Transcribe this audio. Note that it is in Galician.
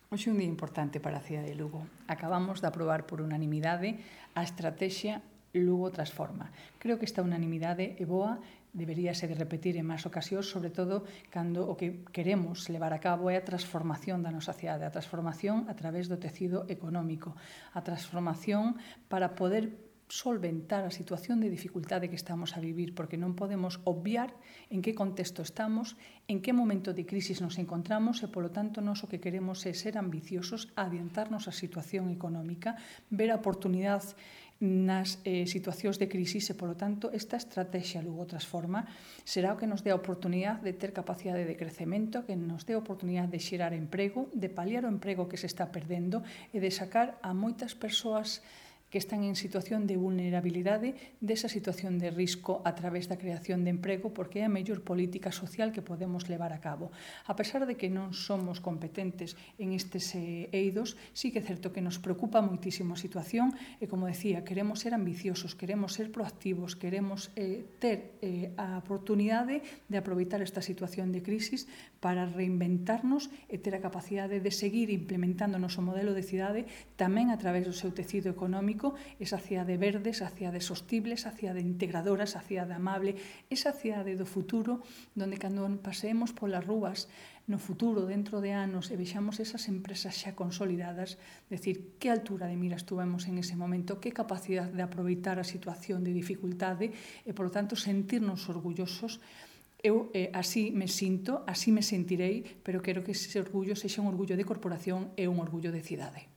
Hoxe é un día importante para a cidade de Lugo. Acabamos de aprobar por unanimidade a estrategia Lugo Transforma. Creo que esta unanimidade é boa, deberíase de repetir en máis ocasións, sobre todo cando o que queremos levar a cabo é a transformación da nosa cidade, a transformación a través do tecido económico, a transformación para poder solventar a situación de dificultade que estamos a vivir, porque non podemos obviar en que contexto estamos, en que momento de crisis nos encontramos e, polo tanto, nós o que queremos é ser ambiciosos, adiantarnos a situación económica, ver a oportunidade nas situacións de crisis e, polo tanto, esta estrategia Lugo Transforma será o que nos dé a oportunidade de ter capacidade de crecemento, que nos dé a oportunidade de xerar emprego, de paliar o emprego que se está perdendo e de sacar a moitas persoas que están en situación de vulnerabilidade desa situación de risco a través da creación de emprego, porque é a mellor política social que podemos levar a cabo. A pesar de que non somos competentes en estes eidos, sí que é certo que nos preocupa moitísimo a situación e, como decía, queremos ser ambiciosos, queremos ser proactivos, queremos ter a oportunidade de aproveitar esta situación de crisis para reinventarnos e ter a capacidade de seguir implementando o noso modelo de cidade tamén a través do seu tecido económico, esa cidade verde, esa cidade sostible, esa cidade integradora, esa cidade amable, esa cidade do futuro, donde cando paseemos polas rúas no futuro, dentro de anos, e vexamos esas empresas xa consolidadas, decir, que altura de miras tuvemos en ese momento, que capacidade de aproveitar a situación de dificultade e, polo tanto, sentirnos orgullosos. Eu así me sinto, así me sentirei, pero quero que ese orgullo sexa un orgullo de corporación e un orgullo de cidade.